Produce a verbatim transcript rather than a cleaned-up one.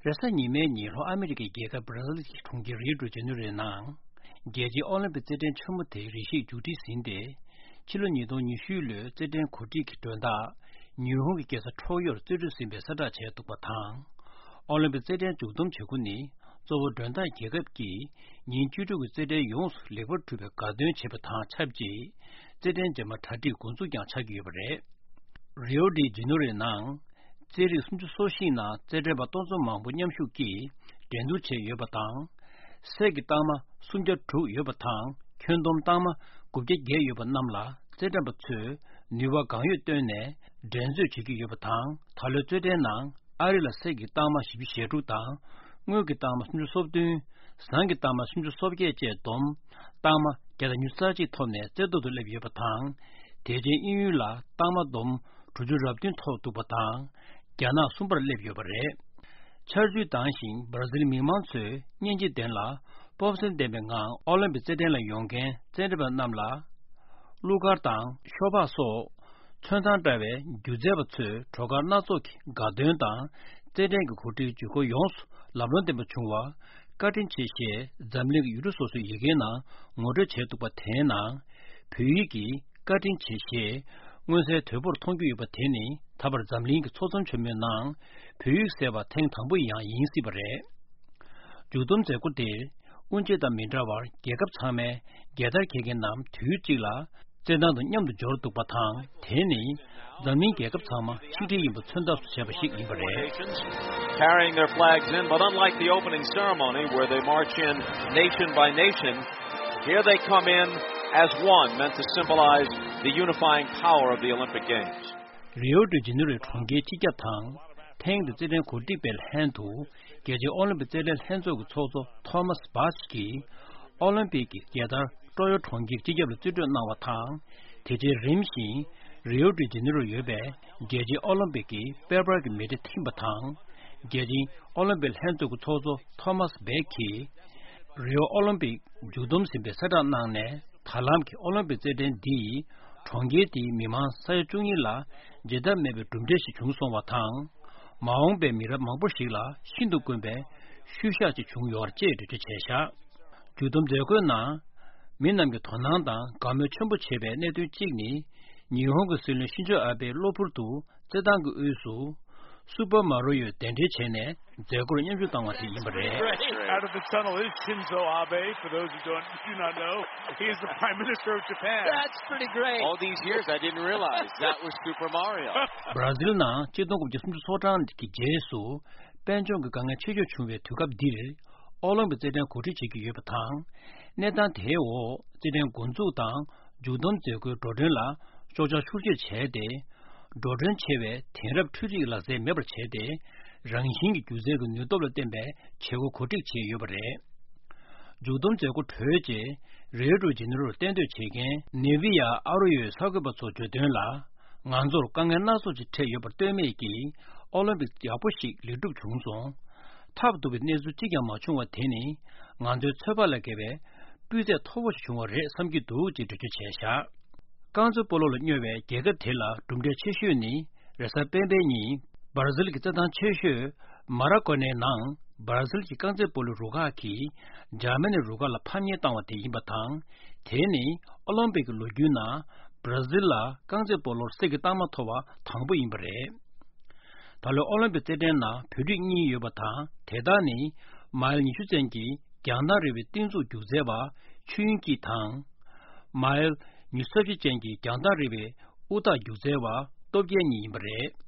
རེས་གཟའ་ཉི་མའི་ཉིན་ལྷོ་ཨ་མི་རི་ཀའི་རྒྱལ་ཁབ་བྷ་ར་ཟིལ་གྱི་གྲོང་ཁྱེར་རིའོ་ཌི་ཇེ་ནེ་རོའི་ནང་། རྒྱལ་སྤྱིའི་ཨོ་ལིམ་པིག་རྩེད་འགྲན་ཆེན་མོ་དེའི་རེ་ཞིག་མཇུག་སྒྲིལ་ཟིན་ཏེ། ཕྱི་ལོ་ཉིས་སྟོང་ཉི་ཤུ་ལོའི་རྩེད་འགྲན་གོ་སྒྲིག་གི་མགྲོན་བདག་ཉི་ཧོང་གི་རྒྱལ་ས་ཁྲོ་ཡོར་རྩེ་ཁྲུས་ཟིན་པའི་གསལ་བསྒྲགས་བྱས་འདུག་པ་དང་། ཨོ་ལིམ་པིག་རྩེད་འགྲན་མཇུག་བསྡོམས་བྱེད་སྒོ་ནི། གཙོ་བོ་མགྲོན་བདག་རྒྱལ་ཁབ་ཀྱིས་ཉིན་བཅུ་དྲུག་གི་རྩེད་འགྲན་ཡོངས་སུ་ལེགས་པར་གྲུབ་པའི་དགའ་སྟོན་བྱེད་པ་དང་ཆབས་ཅིག་རྩེད་འགྲན་རྗེས་མ་གྲ་སྒྲིག་འགོ་འཛུགས་ཀྱང་ཆགས་ཀྱི་ཡོད་པ་རེད། རིའོ་ཌི་ཇེ་ནེ་རོའི་ནང་། རྩེད་རིགས་སུམ་ཅུ་སོ་བཞི་ནང་རྩེད་འགྲན་པ་སྟོང་ཚོ་མང་པོ་མཉམ་ཞུགས་ཀྱིས་འགྲན་བསྡུར་བྱས་ཡོད་པ་དང་། གསེར་གྱི་རྟགས་མ་སུམ་བརྒྱ་དྲུག་ཡོད་པ་དང་། ཁྱོན་བསྡོམས་རྟགས་མ་དགུ་བརྒྱ་བརྒྱད་ཡོད་པ་རྣམས་ལ་རྩེད་འགྲན་པ་ཚོས་ནུས་པ་གང་ཡོད་བཏོན་ནས་འགྲན་རྩོད་བྱེད་ཀྱི་ཡོད་པ་དང་། ད་ལོའི་རྩེད་འགྲན་ནང་ཨ་རི་ལ་གསེར་གྱི་རྟགས་མ་བཞི་བཅུ་ཞེ་དྲུག་དང་། དངུལ་གྱི་རྟགས་མ་སུམ་ཅུ་སོ་བདུན། ཟངས་ཀྱི་རྟགས་མ་སུམ་ཅུ་སོ་བརྒྱད་བཅས་བསྡོམས། རྟགས་མ་བརྒྱ་དང་ཉི་ཤུ་རྩ་གཅིག་ཐོབ་ནས་རྩེ་ཐོག་ཏུ་སླེབས་ཡོད་པ་དང་། དེ་རྗེས་དབྱིན་ཡུལ་ལ་རྟགས་མ་བསྡོམས་དྲུག་ཅུ་རེ་བདུན་ཐོབ་འདུག་པ་དང་། རྒྱ་ནག་གསུམ་པར་སླེབས་ཡོད་པ་རེད། ཆར་ཆུ་ལྡང་ཞིང་བར་ཛིལ་མི་མང་ཚོས་སྙིང་རྗེ་ལྡན་ལ་སྤོབས་སེམས་ལྡན་པའི་ངང་ཨོ་ལིམ་པིག་རྩེད་འགྲན་ལ་ཡོང་མཁན་རྩེད་འགྲན་པ་རྣམས་ལ། གླུ་གར་དང་ཤོ་སྦག་སོགས། ཚོན་མདངས་བཀྲ་བའི་སྒྱུ་རྩལ་པ་ཚོས་བྲོ་གར་སྣ་ཚོགས་ཀྱི་དགའ་སྟོན་དང་། རྩེད་འགྲན་གྱི་གོ་སྒྲིག་ཇུས་འགོད་ཡོངས་སུ་ལམ་ལྷོང་ལྡན་པ་བྱུང་བར་བཀའ་དྲིན་ཆེ་ཞེས་འཛམ་གླིང་གི་ཡུལ་གྲུ་སོ་སོའི་ཡི་གེའི་ནང་ངོ་སྤྲོད་བྱས་འདུག་པ་དེའི་ནང་། བོད་ཡིག་གིས་བཀའ་དྲིན་ཆེ་ཞེས་མངོན་གསལ་དོད་པོར་མཐོང་རྒྱུ་ཡོད་པ་དེ་ནི་ད་བར་འཛམ་གླིང་གི་ཚོགས་འཛོམས་ཆེན་མོའི་ནང་བོད་ཡིག་གསལ་བ་ཐེངས་དང་པོ་ཡང་ཡིན་སྲིད་པ་རེད། མཇུག་བསྡོམས་མཛད་སྒོ་དེར། དབུ་འབྱེད་དང་མི་འདྲ་བར་རྒྱལ་ཁབ་ཚང་མའི་རྒྱལ་དར་འཁྱེར་མཁན་རྣམས་དུས་གཅིག་ལ་རྩེད་ཐང་དུ་མཉམ་དུ་འབྱོར་འདུག་པ་དང་། དེ་ནི་འཛམ་གླིང་རྒྱལ་ཁབ་ཚང་མ་ཆིག་སྒྲིལ་ཡིན་པ་མཚོན་ཐབས་སུ་བྱས་པ་ཞིག་ཡིན་པ་རེད། Carrying their flags in, but unlike the opening ceremony where they march in nation by nation, here they come in as one, meant to symbolize the unifying power of the Olympic Games. རིའོ་ཌི་ཇེ་ནེ་རོའི་གྲོང་ཁྱེར་སྤྱི་ཁྱབ་དང་། ཐེངས་འདིའི་རྩེད་འགྲན་གོ་སྒྲིག་པའི་ལྷན་དུ། རྒྱལ་སྤྱིའི་ཨོ་ལིམ་པིག་རྩེད་འགྲན་ལྷན་ཚོགས་ཀྱི་ཚོགས་གཙོ་ཐོ་མཱས་སྦཱ་ཆི་གིས། ཨོ་ལིམ་པིག་གི་རྒྱལ་དར་ཀྲོ་ཡོ་གྲོང་ཁྱེར་སྤྱི་ཁྱབ་ལ་རྩིས་སྤྲོད་གནང་བ་དང་། དེ་རྗེས་རིམ་བཞིན་རིའོ་ཌི་ཇེ་ནེ་རོ་ཡོད་པའི་རྒྱལ་སྤྱིའི་ཨོ་ལིམ་པིག་གི་དཔལ་འབར་གྱི་མེ་ལྕེ་ཐིམ་པ་དང་། རྒྱལ་སྤྱིའི་ཨོ་ལིམ་པིག་ལྷན་ཚོགས་ཀྱི་ཚོགས་གཙོ་ཐོ་མཱས་སྦཱ་ཆི་གིས། རིའོ་ཨོ་ལིམ་པིག་མཇུག་བསྡོམས་ཟིན་པའི་གསལ་བསྒྲགས་གནང་ནས། ད་ལམ་གྱི་ཨོ་ལིམ་པིག་རྩེད་འགྲན་འདིས་གྲོང་ཁྱེར་དེའི་མི་མང་ས་ཡ་བཅུ་གཉིས་ལ་བརྗེད་ཐབས་མེད་པའི་གྲུབ་འབྲས་ཤིག་བྱུང་སོང་བ་དང་། མ་འོངས་པའི་མི་རབས་མང་པོ་ཞིག་ལ་ཤིན་ཏུ་དཀོན་པའི་ཤུལ་བཞག་ཅིག་བྱུང་ཡོད་ཅེས་འགྲེལ་བརྗོད་བྱས་བཞག་མཇུག་བསྡོམས་མཛད་སྒོའི་ནང་། མི་རྣམས་ཀྱི་དོ་སྣང་དང་དགའ་མོས་ཆེན་པོ་བྱེད་པའི་གནད་དོན་གཅིག་ནི། ཉི་ཧོང་གི་སྲིད་བློན་ཤིན་ཛོ་ཨ་བྷེ་གློ་བུར་དུ། རྩེད་ཐང་གི་དབུས་སུ། སུ་པར་མ་རོ་ཡོ་གདན་འདྲེན་བྱས་ནས་མཛད་སྒོར་མཉམ་ཞུགས་བཏང་བ་དེ་ཡིན་པ་རེད། Out of the tunnel is Shinzo Abe. For those who don't, do not know, he is the Prime Minister of Japan. That's pretty great. All these years, I didn't realize that was Super Mario. བྷ་ར་ཟིལ་ནང་ཆིག་སྟོང་དགུ་བརྒྱ་སུམ་ཅུ་སོ་གྲངས་ཀྱི་རྗེས་སུ། དཔལ་འབྱོར་གྱི་དཀའ་ངལ་ཆེ་ཤོས་བྱུང་བའི་དུས་སྐབས་འདིར། ཨོ་ལིམ་པིག་རྩེད་འགྲན་གོ་སྒྲིག་བྱེད་ཀྱི་ཡོད་པ་དང་། གནས་སྟངས་དེའི་འོག་རྩེད་འགྲན་འགོ་འཛུགས་དང་། མཇུག་བསྡོམས་མཛད་སྒོའི་འགྲོ་གྲོན་ལ་གཅོག་ཆ་ཤུགས་ཆེར་བྱས་ཏེ། འགྲོ་གྲོན་ཆེ་བའི་དེང་རབས་འཕྲུལ་རིག་ལག་རྩལ་མེད་པར་བྱས་ཏེ། རང་བཞིན་གྱི་སྒྱུ་རྩལ་གྱི་ནུས་སྟོབས་ལ་བརྟེན་པའི་བྱེད་སྒོ་གོ་སྒྲིག་བྱས་ཡོད་པ་རེད། མཇུག་བསྡོམས་མཛད་སྒོ་གྲོལ་རྗེས། རིའོ་ཌི་ཇེ་ནེ་རོར་གཏན་སྡོད་བྱེད་མཁན་ནེ་བི་ཡ་ཨ་རོ་ཡོའི་གསར་འགོད་པ་ཚོར་བརྗོད་དོན་ལ། ང་ཚོར་དཀའ་ངལ་སྣ་ཚོགས་ཤིག་འཕྲད་ཡོད་པར་ལྟོས་མེད་ཀྱིས། ཨོ་ལིམ་པིག་ཡག་པོ་ཞིག་ལེགས་གྲུབ་བྱུང་སོང་། ཐབས་སྡུག་པའི་གནས་ཚུལ་གཅིག་ཀྱང་མ་བྱུང་བ་དེ་ནི། ང་ཚོའི་ཚོད་དཔག་ལས་བརྒལ་བའི་སྤུས་ཚད་མཐོ་པོ་ཞིག་བྱུང་བ་རེད་བསམ་གྱི་འདུག་ཅེས་འགྲེལ་བརྗོད་བྱས་བཞག་རྐང་རྩེད་སྤོ་ལོ་ལ་སྨྱོ་བའི་རྒྱལ་ཁབ་དེ་ལ་གྲུབ་འབྲས་ཆེ་ཤོས་ནི། རེས་གཟའ་སྤེན་པའི་ཉིན། བར་ཛིལ་གྱི་རྩེད་ཐང་ཆེ་ཤོས་མ་ར་ཀོ་ནའི་ནང་། བར་ཛིལ་གྱི་རྐང་རྩེད་སྤོ་ལོའི་རུ་ཁག་གིས་འཇར་མ་ནིའི་རུ་ཁག་ལ་ཕམ་ཉེས་བཏང་བ་དེ་ཡིན་པ་དང་། དེ་ནི་ཨོ་ལིམ་པིག་གི་ལོ་རྒྱུས་ནང་བར་ཛིལ་ལ་རྐང་རྩེད་སྤོ་ལོར་གསེར་གྱི་རྟགས་མ་ཐོབ་པ་དང་པོ་ཡིན་པ་རེད། ད་ལོའི་ཨོ་ལིམ་པིག་རྩེད་འགྲན་ནང་བོད་རིགས་གཉིས་ཡོད་པ་དང་། དེ་དག་ནི་མའིལ་ཉི་ཤུ་ཅན་གྱི་རྒྱང་ཐག་རིང་བའི་རྟིང་འཛུགས་རྒྱུག་རྩལ་བ་ཆོས་དབྱིངས་སྐྱིད་དང་། མའིལ་ཉི་ཤུ་རྩ་བཞི་ཅན་གྱི་རྒྱང་ཐག་རིང་བའི་དབུ་ཐག་རྒྱུག་རྩལ་བ་སྟོབས་རྒྱལ་གཉིས་ཡིན་པ་རེད།